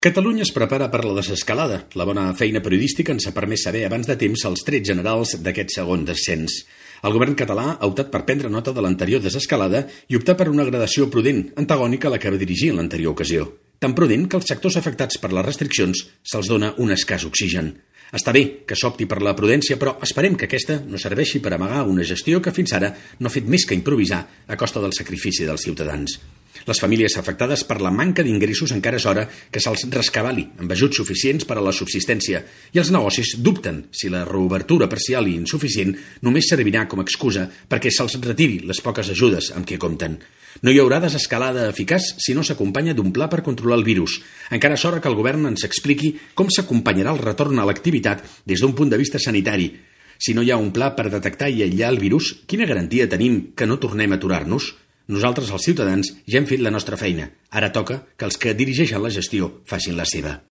Catalunya es prepara per la desescalada. La bona feina periodística ens ha permès saber abans de temps els trets generals d'aquest segon descens. El govern català ha optat per prendre nota de l'anterior desescalada i optar per una gradació prudent, antagònica a la que va dirigir en l'anterior ocasió. Tan prudent que als sectors afectats per les restriccions se'ls dona un escàs oxigen. Està bé que s'opti per la prudència, però esperem que aquesta no serveixi per amagar una gestió que fins ara no ha fet més que improvisar a costa del sacrifici dels ciutadans. Les famílies afectades per la manca d'ingressos encara és hora que se'ls rescabali amb ajuts suficients per a la subsistència i els negocis dubten si la reobertura parcial i insuficient només servirà com a excusa perquè se'ls retiri les poques ajudes amb què compten. No hi haurà desescalada eficaç si no s'acompanya d'un pla per controlar el virus. Encara és hora que el govern ens expliqui com s'acompanyarà el retorn a l'activitat des d'un punt de vista sanitari. Si no hi ha un pla per detectar i aïllar el virus, quina garantia tenim que no tornem a aturar-nos? Nosaltres, els ciutadans, ja hem fet la nostra feina. Ara toca que els que dirigeixen la gestió facin la seva.